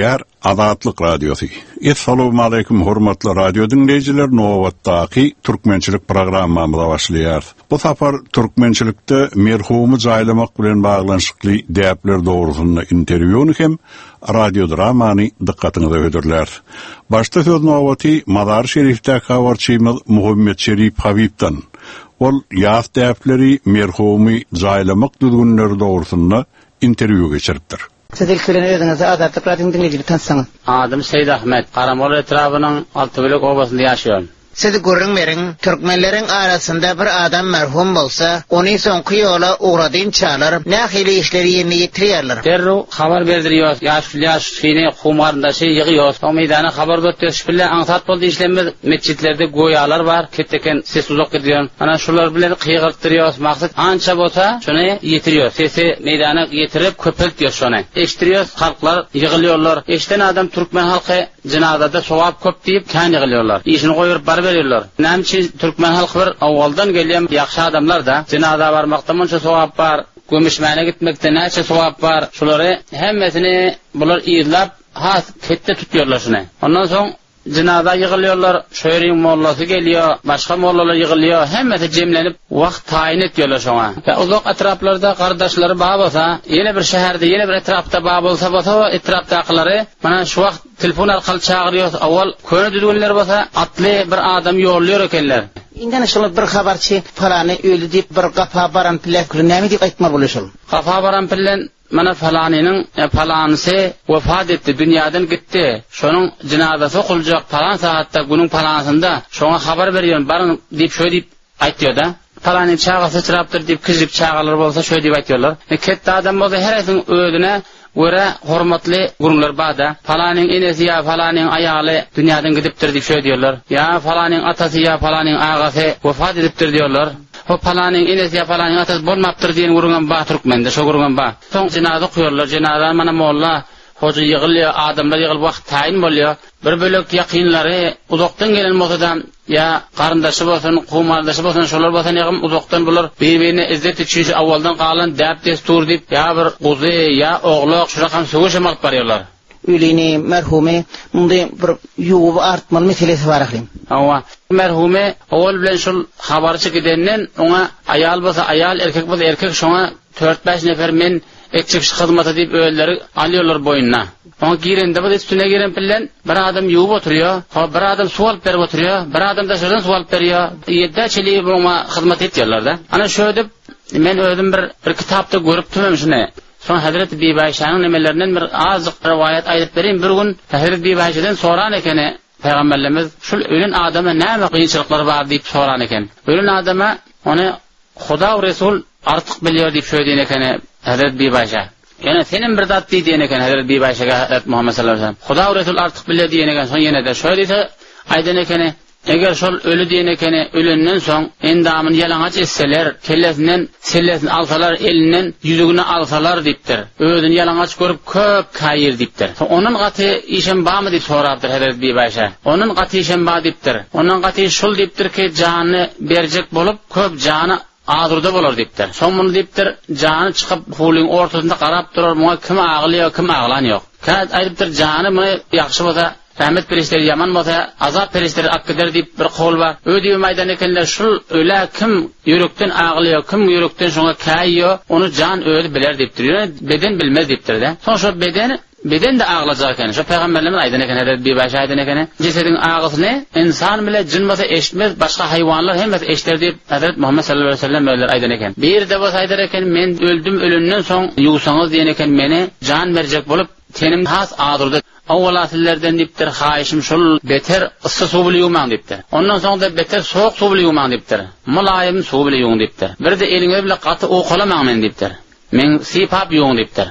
Gepleýär Azatlyk Radiosy. Essalawmaleýkim hormatly radio diňleýjiler nobatdaky türkmençilik programmamyza başlaýarys. Bu sapar türkmençilikde merhumy jaýlamak bilen baglanyşykly däpler dogrusynda interwýuny hem radiodramany dykgatyňyza hödürläris. Başda söz nobaty Mazary-Şerifdäki habarçymyz Muhammetşerip Habibden. Ol ýas däpleri, merhumy jaýlamak düzgünleri dogrusynda interwýu geçiripdir. Siz ilki bilen özüňizi Azatlyk Radiosynyň diňleýjiligi tanytsaňyz. Adym Seýidahmet. Garamol etrabynyň Altybölek obasynda ýaşaýan. Siz gürrüň beriň, türkmenleriň arasynda bir adam merhum bolsa, ony soňky ýola ugradynçalar nähili işleri ýerine ýetirýärler? Derrew habar berdirýos, ýaşuly ýaşulyny, kowum-garyndaşy ýygýos. Soň meýdana habar uzatýos. Şu bile aňsat boldy işlemimiz. Metjitlerde göýalar bar, keteken ses uzak gidýän. Ana şular bilen gygyrtdyrýos. Maksat ança bolsa şony ýetirýos. Sesi meýdana ýetirip köpeltýos şony. Eşitdirýos, halklar ýygylýorlar. Eşiden adam türkmen halky Jynazada sogap köp diýip kän ýygylýarlar. Işini goýberyp baryberýärler. Näme üçin türkmen halky bir owaldan gelýän ýagşy adamlar-da. Jynaza barmakda munça sogap bar, gömüşmäne gitmekde näçe sogap bar, şulary hemmesini bular yzlap has ketde tutýarlar şuny. Ondan soň jynaza ýygylýarlar, şo ýeriň mollasy gelýär, başga mollalar ýygylýar, hemmesi jemlenip wagt taýyn etýärler şoňa. Ýa uzak etraplarda gardaşlary bar bolsa, ýene bir şäherde, ýene bir etrapda bar bolsa bolsa etrapdakylary Mana şu wagt telefon arkaly çagyrýos, owal köne düzgünler bolsa atly bir adamy ýollaýar ekenler. Indi ana şol bir habarçy palany öldi diýip bir gapa baran pille näme diýip aýtmaly bolýar şol? Gapa baran pillen mana palanynyň palanysy wepat etdi, dünýäden gitdi, şonuň jynazasy okuljak palan sagatda günüň palansynda şoňa habar berýän baryň diýip şöý diýip Aýtýar-da. Palanyň çagasy syçrapdyr diýip, kiçijik çagalar bolsa şöý diýip aýtýarlar. E, ketde adam bolsa her haýsynyň özüne görä hormatly gürrüňleri bar-da. Palanyň enesi ýa palanyň aýaly dünýäden gidipdir diýip şöý diýerler. Ýa palanyň atasy ýa palanyň agasy wepat edipdir diýerler. Ho palanyň enesi ýa palanyň atasy bolmapdyr diýen gürrüňem bar türkmende, şo gürrüňem bar. Soň jenaza okaýarlar, jenazany mana molla, hoja ýygylýar, adamlar ýygylyp wagt taýyn bolýar. Bir bölek ýakynlary uzakdan gelen bolsa-da, Ýa garyndaşy bolsun, kowum-garyndaşy bolsun, şolar bolsa negim uzakdan bular bir-birine izzet üçin şu owaldan galan däp-dessur diýip, ýa bir guzy, ýa oglak, şurakam söweşem alyp barýarlar. Ölini, merhumy mundy bir ýuwup artmaly meselesi bar ahyryn. Hawa, merhumy owal bilen şul habarçy gidenden oňa aýal bolsa aýal, erkek bolsa erkek şoňa Tört-bäş nefer men etjek şu hyzmaty diýip özleri alýarlar boýnuna. Oňa girende bir üstüne giren bilen bir adam ýuwup oturýar, ho bir adam suw alyp berip oturýar, bir adam daşardan suw alyp berýär. Ýedä çenli oňa hyzmat etýärler-de. Ana şöýdüp men özüm bir bir kitapda görüpdim hem şuny. Soň Hezreti Bibaýşanyň nemelerinden bir azjyk rowaýat aýdyp bereýin. Bir gün Hezreti Bibaýşadan soran ekeni Pygamberlerimiz, şul ölen adama näme kynçylyklar bar diýip soran eken. Ölen adama ony Huda we Resul artyk bilýär diýip şöý diýen ekeni Hezret Bibaýşa. Ýöne senem bir zat diý diýen eken Hezret Bibaýşaga Hezret Muhammet sallallahu aleyhi ve sellem. Huda we Resul artyk bilýär diýen eken soň ýene-de şöý diýse aýdan ekeni Eger şol öli diýen ekeni ölenden soň endamyny ýalaňaç etseler, kellesinden sellesini alsalar, elinden ýüzügini alsalar diýipdir. Özüni ýalaňaç görüp köp käýir diýipdir. Soň ondan gaty işem barmy diýip sorapdyr Hezret Bibaýşa. Ondan gaty işem bar diýipdir. Ondan gaty iş şul diýipdir ki janyny berjek bolup, Köp jany azurda bolar diýipdir. Soň muny diýipdir, jany çykyp hulyň ortasynda garap durar, muňa kim agylýar, kim aglan ýok. Kä aýdypdyr, jany muny ýagşy bolsa, rahmet perişdeleri, ýaman bolsa, azap perişdeleri alyp gider diýip bir kowul bar. Ö diýibem aýdan ekenler, şul ölä kim ýürekden agylýar, kim ýürekden şoňa käýýär, ony jan özi biler diýipdir. Ýöne beden bilmez diýipdir-de. Soň şol beden Beden-de aglajak eken. Şo pygamberlerimiz aýdan eken, hezreti Bibaýşa aýdan ekeni. Jesediň agysyny ynsan bile jyn bolsa eşitmez, başga haýwanlar hemmesi eşder diýip, hezreti Muhammet sallallahu aleýhi we sellem özleri aýdan eken. Biri-de bolsa aýdar eken, men öldüm, ölenden soň ýuwsaňyz diýen eken meni, jan berjek bolup, tenim has azurdy. Owala sizlerden diýipdir, haýyşym şul, beter yssy suw bile ýuwmaň diýipdir. Ondan soň-da beter sowuk suw bile ýuwmaň diýipdir. Mylaýym suw bile ýuwuň diýipdir. Bir-de eliňiz bile gaty owkalamaň meni diýipdir. Meň sypap ýuwuň diýipdir.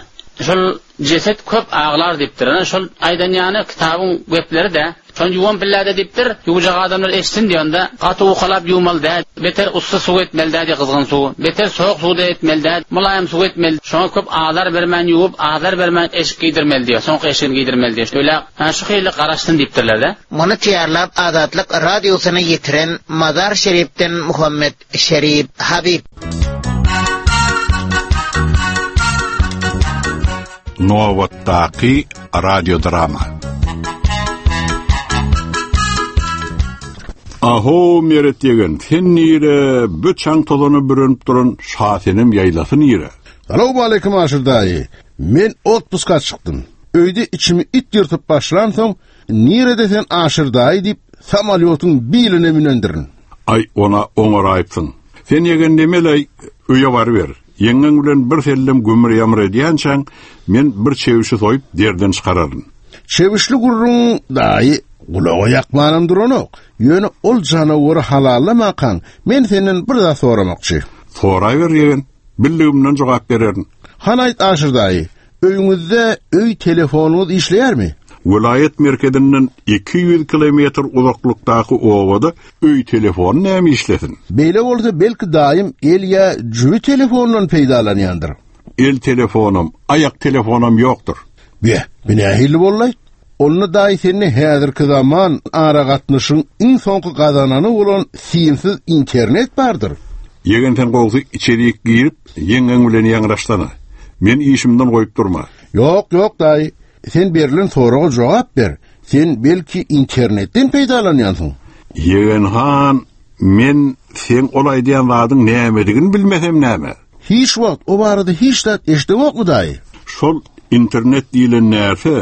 Şol jeset köp aglar diýipdir. Ana şol aýdan ýany kitabyň gepleri-dä. Şony ýuwan pillä-de diýipdir, ýuwjak adamlar eşitsin diý onda, gaty owkalap ýuwmaly däl, beter ussa suw etmeli däl diý gyzgyn suw, beter sowuk suw-da etmeli däl, mylaýym suw etmeli, şoňa köp azar bermän ýuwup, azar bermän eşik geýdirmeli diýýär, soňky eşigini geýdirmeli diýýär. Ölä ana şu hili garaşsyn diýipdirler-de. Muny taýýarlap Azatlyk Radiosyna ýetiren Mazar-Şerifden Muhammet Şerip Habib. Nobatdaky radiodrama. Ahow, Meret ýegen, sen nire, bü çaň tozana bürenip duran Şasenem ýaýlasy nire? Salowmaleýkim Aşyr daýy. Men otpuska çykdym. Öýde içimi it ýyrtyp başlansoň, nirede sen Aşyr daýy diýip, samolýotyň biline münendirin. Aý, ona oňaraýypsyň. Sen ýegen nemeleý, öýe baryber. Ýeňňeň bilen bir sellem gümür-ýamyr edýänçäň, men bir çebişi soýup, derden çykararyn. Çebişli gürrüň, daýy, gulaga ýakmanam duranok. Ýöne ol janawary halallamakaň, men senden bir zat soramakçy. Soraber, ýegen. Bildigimden jogap bererin. Hany aýt, Aşyr daýy, Öýüňizde öý telefonyňyz işleýärmi? Welaýat merkezinden 200 kilometr uzaklykdaky obada öý telefony näme işlesin? Beýle bolsa belki daýym el ýa jübi telefonyndan peýdalanýandyr. El telefonam, aýak telefonam ýokdur. Be, bu nähili boldy? Onda daýy sende häzirki zaman aragatnaşygyň iň soňky gazanany bolan simsiz internet bardyr. Ýegen sen gowsy içerik girip ýeňňeň bilen ýaňraşsana. Men işimden goýup durma. Ýok, ýok daýy. Sen berlen soraga jogap ber. Sen belki internetden peýdalanýansyň? Ýegen han, men seň ol aýdýan zadyň nämedigini bilmesem näme? Hiç wagt o barada hiç zat eşdeňokmy daýy? Şol internet diýlen närse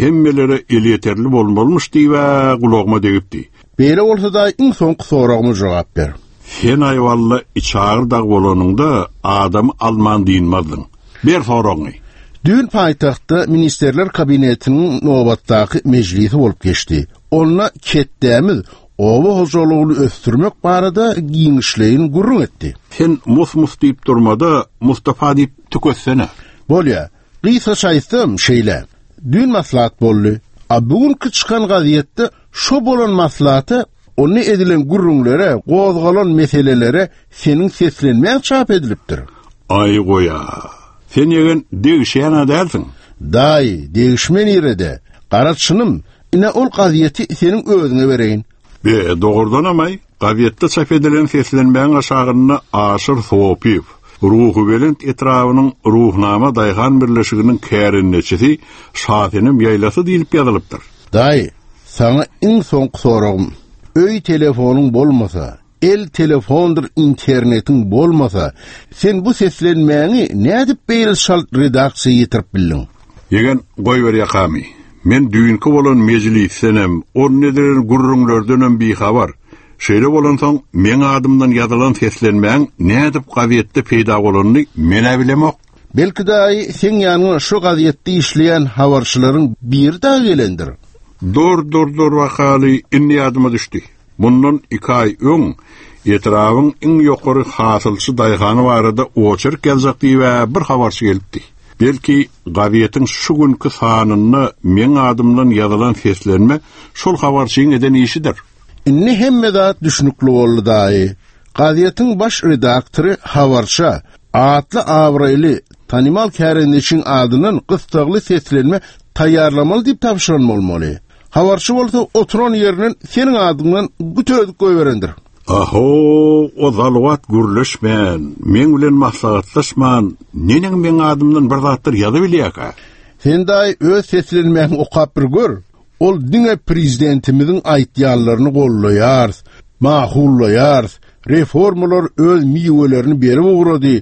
hemmelere elýeterli bolmalymyş diýib-ä gulagyma degipdi. Beýle bolsa daýy iň soňky soragyma jogap ber. Sen aýwalla içagyr dag bolanyňda adamy alman dynmazdyň. Ber soragyňy. Düýn paýtagtda Ministrler Kabinetiniň nobatdaky mejlisi bolup geçdi. Onda ketdämiz oba hojalygyny ösdürmek barada giňişleýin gürrüň etdi. Sen mus-mus diýip durma-da, Mustapa diýip tüketsene. Bolýa. Gysgaça aýtsam, şeýle. Düýn maslahat boldy. A bu günki çykan gazetde şo bolan maslahata, onda edilen gürrüňlere, gozgalan meselelere seniň seslenmäň çap edilipdir. Aý goý-a. Sen ýegen degişýän-ä dälsiň. Daýy, degişme nirede? Gara çynym, Ine ol gazýeti seniň özüňe bereýin. Be, dogrudanam-aý, gazetde çap edilen seslenmäň aşagynda Aşyr Sopyýew, Ruhubelent etrabynyň Ruhnama daýhan birleşiginiň kärendeçisi Şasenem ýaýlasy diýlip ýazylypdyr. Daýy, saňa iň soňky soragym. Öý telefonyň bolmasa, El telefondyr internetiň bolmasa, sen bu seslenmäňi nädip beýle çalt redaksiýa ýetirip bildiň? Ýegen, goýber ýakamy. Men düýnki bolan mejlisdenem, onda edilen gürrüňlerdenem bihabar. Şeýle bolansoň, meň adymdan ýazylan seslenmäň nädip gazetde peýda bolanyny men-ä bilemok. Belki daýy, seň ýanyňa şo gazetde işleýän habarçylaryň biri dagy gelendir? Dur, dur, dur bakaly, indi ýadyma düşdi. Mundan iki aý öň etrabyň iň ýokary hasylçy daýhany barada oçerk ýazjak diýib-ä bir habarçy gelipdi. Belki, gazetiň şu günki sanynda meň adymdan ýazylan seslenme şol habarçyň eden işidir. Indi hemme zat düşnükli boldy, daýy. Gazetiň baş redaktory habarça atly-abraýly, tanymal kärendeçiň adyndan gyssagly seslenme taýýarlamaly diýip tabşyran bolmaly. Habarçy bolsa oturan ýerinden seniň adyňdan gütürdük goýberendir. Ahow, o zaluwat gürleşmän, meň bilen maslahatlaşman, neneň meň adymdan bir zatlar ýazybilýärkä? Sen daýy öz seslenmäňi okap bir gör. Ol diňe prezidentimiziň aýtýanlaryny gollaýarys, makullaýarys, reformalar öz miwelerini berip ugrady,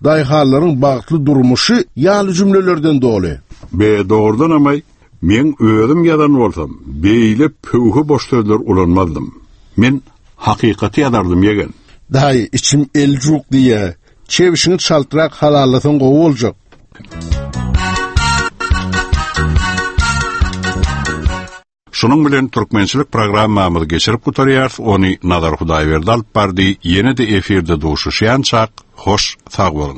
daýhanlaryň bagtly durmuşy ýaly jümlelerden doly. Be, dogrudanam-aý, Meň özüm ýazan bolsam, beýle pöwhe boş sözler ulanmazdym. Men hakykaty ýazardym, ýegen. Daýy, içim eljuk diýýä. Çebşiňi çaltrak halallasaň gowy boljak. Şunuň bilen türkmençilik programmamyzy geçirip gutarýarys, ony Nazar Hudaýberdi alyp bardy, ýene-de efirde duşuşýançak, hoş sag boluň.